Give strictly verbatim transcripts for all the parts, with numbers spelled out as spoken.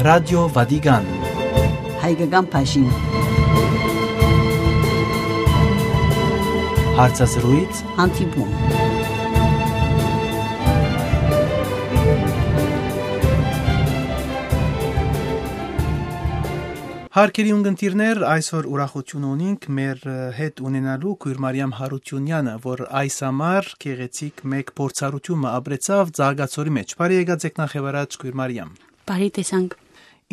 Ռադիո Վատիկան։ Հայկական բաժին։ Հարցազրույց։ Հանդիպում։ Հարգելի ունգընտիրներ, այսօր ուրախութիւն ունինք մեր, ը, հետ ունենալու քոյր Մարիամ Յարութիւնեանը, որ այս համար գեղեցիկ մէկ փորձառութիւն մը ապրեցաւ Ծաղկաձորի մէջ։ Բարի եկած եք նախ եւ առաջ, քոյր Մարիամ։ Բարի տեսանք։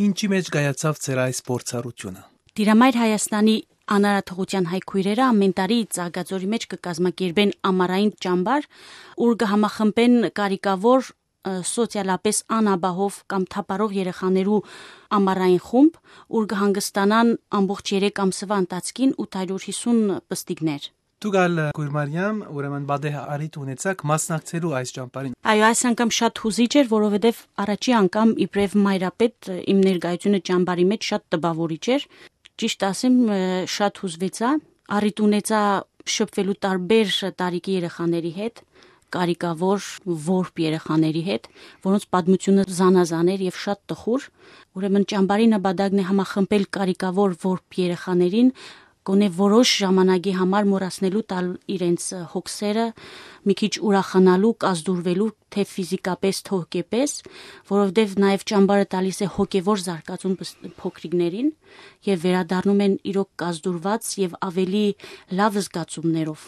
Ինչի՞ մէջ կայացաւ ձեր այս փորձառութիւնը։ Տիրամայր Հայաստանի անարատողութեան հայ քոյրերը ամէն տարի Ծաղկաձորի մէջ կը կազմակերպեն ամառային ճամբար, ուր կը համախմբեն կարիքաւոր, ը, սոցիալապէս անապահով կամ թափառող երեխաներու ամառային խումբ, ուր կը հանգստանան ամբողջ երեք ամսուայ ընթացքին ութ հարիւր յիսուն պստիկներ։ Դուք ալ, քոյր Մարիամ, ուրեմն պատեհ առիթ ունեցաք մասնակցելու այս ճամբարին։ Այո, այս անգամ շատ յուզիչ էր, որովհետեւ առաջի անգամ իբրեւ մայրապետ, ը, իմ ներկայությունը ճամբարի մէջ շատ տպաւորիչ էր։ Ճիշդ ասեմ, ը, շատ յուզուեցայ, առիթ ունեցայ շփուելու տարբեր տարիքի երեխաների հետ, կարիքաւոր որբ երեխաների հետ, որոնց պատմութիւնը զանազան էր եւ շատ տխուր։ Ուրեմն ճամբարի նպատակն է համախմբել կարիքաւոր որբ երեխաներին, գոնե որոշ ժամանակի համար մոռացնելու տալ իրենց, ը, հոգսերը, մի քիչ ուրախանալու, կազդուրվելու, թէ ֆիզիկապէս, թէ հոգեպէս, որովհետեւ նաեւ ճամբարը տալիս է հոգեվոր զարգացում պս-, փոքրիկներին եւ վերադառնում են իրոք կազդուրված եւ ավելի լաւ զգացումներով։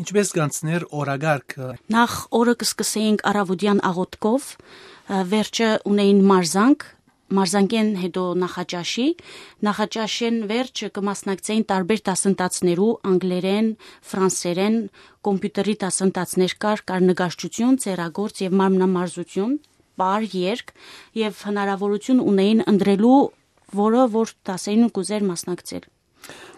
Ինչպէս կանցներ օրակարգը։ Նախ օրը կը սկսէինք առաւօտեան աղօթքով, ը, վերջը ունէին մարզանք, մարզանքէն հետո նախաճաշի, նախաճաշէն վերջ կը մասնակցէին տարբեր դասընթացներու, անգլերէն, ֆրանսերէն, կոմպիուտերի դասընթացներ կար, կար նկարչութիւն, ձեռագործ եւ մարմնամարզութիւն, պար, երգ, եւ հնարաւորութիւն ունէին ընտրելու, որը որ դասերին կ'ուզէր մասնակցել։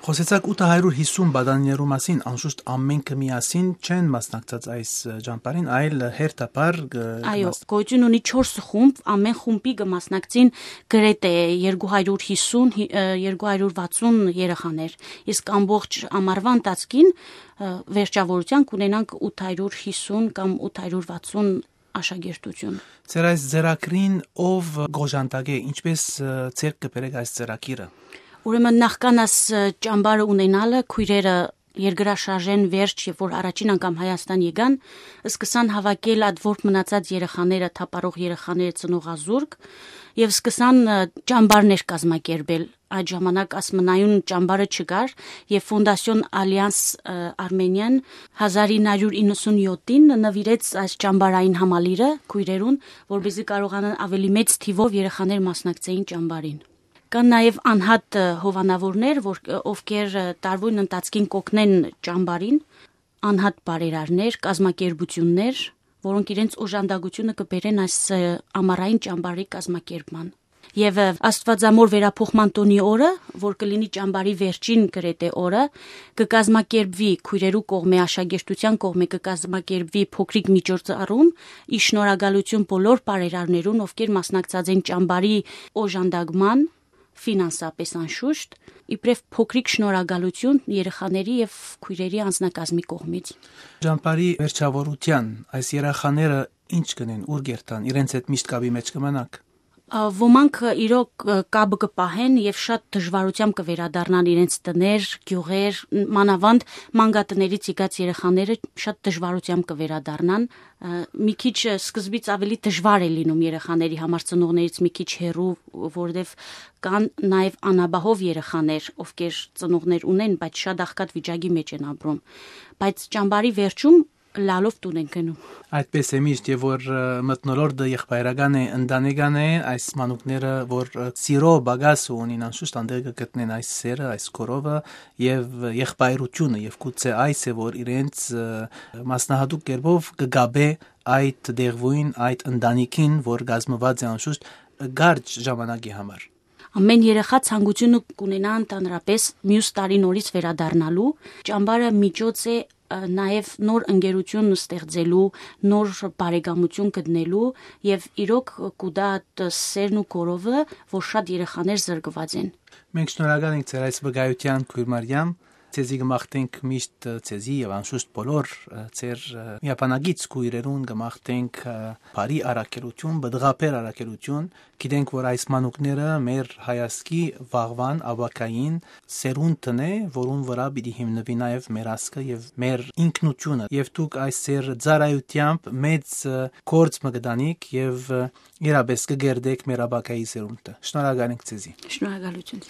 Խօսեցաք ութ հարիւր յիսուն պատանիներու մասին, անշուշտ ամէնքը միասին չեն մասնակցած այս, ը, ճամբարին, այլ հերթապար, ը, Այո, կմաս- գոյութիւն ունի չորս խումբ, ամէն խումբի կը մասնակցին գրեթէ երկու հարիւր յիսուն, հի-, ը, երկու հարիւր վաթսուն երեխաներ, իսկ ամբողջ ամառուայ ընթացքին, ը, վերջաւորութեան կունենանք ութ հարիւր յիսուն կամ ութ հարիւր վաթսուն աշակերտութիւն։ Ձեր այս ձեռագրին ով կ'օժանդակէ, ինչպէս, ը, ձեռք կը բերէք այս ձեռագիրը։ Ուրեմն նախքան աս, ը, ճամբարը ունենալը, քոյրերը երկրաշարժէն վերջ, երբ որ առաջին անգամ Հայաստան եկան, սկսան հաւաքել այդ որբ մնացած երեխաները, թափառող երեխաները, ծնողազուրկ, եւ սկսան, ը, ճամբարներ կազմակերպել։ Այդ ժամանակ ասմնայուն ճամբարը չկար, եւ Ֆոնդասիոն Ալիանս, ը, Արմենիան հազար ինը հարիւր իննսուն յոթին նուիրեց այս ճամբարային համալիրը քոյրերուն, որպեսզի կարողանան ավելի մեծ թիւով երեխաներ մասնակցեին ճամբարին։ Կան նաեւ անհատ, ը, հովանաւորներ, որ, ը, ովքեր, ը, տարուին ընթացքին կօգնեն ճամբարին, անհատ բարերարներ, կազմակերպութիւններ, որոնք իրենց օժանդակութիւնը կը բերեն այս, ը, ամառային ճամբարի կազմակերպման։ Եւ, ը, Աստուածամոր վերափոխման տօնի օրը, որ կը լինի ճամբարի վերջին գրեթէ օրը, կը կազմակերպուի քոյրերու կողմէ, աշակերտութեան կողմէ կը կազմակերպուի փոքրիկ միջոցառում, ի շնորհակալութիւն բոլոր բարերարներուն, ովքեր մասնակցած են ճամբարի օժանդակման, ֆինանսապէս անշուշտ, իբրեւ փոքրիկ շնորհակալութիւն երեխաների եւ քոյրերի անձնակազմի կողմից։ Ճամբարի վերջաւորութեան այս երեխաները ի՞նչ կ'ընեն, ո՞ւր կ'երթան, իրենց հետ միշտ կապի մէջ կը մնաք։ Ա, ոմանք, ը, իրոք, ը, կապը կը պահեն եւ շատ դժուարութեամբ կը վերադառնան իրենց տներ, գիւղեր, ն-, մանաւանդ մանկատներից եկած երեխաները շատ դժուարութեամբ կը վերադառնան։ Ա, մի քիչ, ը, սկզբից ավելի դժուար է լինում երեխաների համար, ծնողներից մի քիչ հեռու, որովհետեւ կան նաեւ անապահով երեխաներ, ովքեր ծնողներ ունեն, բայց շատ աղքատ վիճակի մէջ են ապրում։ Բայց ճամբարի վերջում լալով տուն են գնում։ Այդպես է միշտ, եւ որ, ը, մթնոլորտը եղբայրական է, ընտանեկան է, այս մանուկները, որ, ը, սիրո պակասը ունին, անշուշտ անտեղ կը գտնեն այս սերը, այս կորովը, եւ եղբայրությունը, եւ գուցե այս է, որ իրենց, ը, մասնահատուկ կերպով կը գաբէ այդ դեղուին, այդ ընտանիքին, որ կազմուած է անշուշտ կարճ ժամանակի համար։ Ամէն երեխա ցանկութիւնը կունենայ ընդհանրապէս միւս տարի նորից վերադառնալու։ Ճամբարը միջոց է, ը, նաեւ նոր ընկերութիւն ստեղծելու, նոր բարեկամութիւն գտնելու եւ իրոք կու տայ այդ սերն ու կորովը, որ շատ երեխաներ զրկուած են։ Մենք շնորհակալ ենք ձեր այս վկայութեան, քոյր Մարիամ, Ձեզի կը մաղթենք միշտ, ը, ձեզի եւ անշուշտ բոլոր, ը, ձեր, ը, միաբանագից քոյրերուն կը մաղթենք, ը, բարի առաքելութիւն, պտղաբեր առաքելութիւն։ Գիտենք, որ այս մանուկները մեր հայազգի վաղուան ապագային սերունդն է, որուն վրայ պիտի հիմնուի նաեւ մեր ազգը եւ մեր ինքնությունը։ Եւ դուք այս ձեր ծառայութեամբ մեծ, ը, գործ մը կտանիք եւ, ը, իրապէս կը կերտեք մեր ապագայի սերունդը։ Շնորհակալ ենք ձեզի։ Շնորհակալություն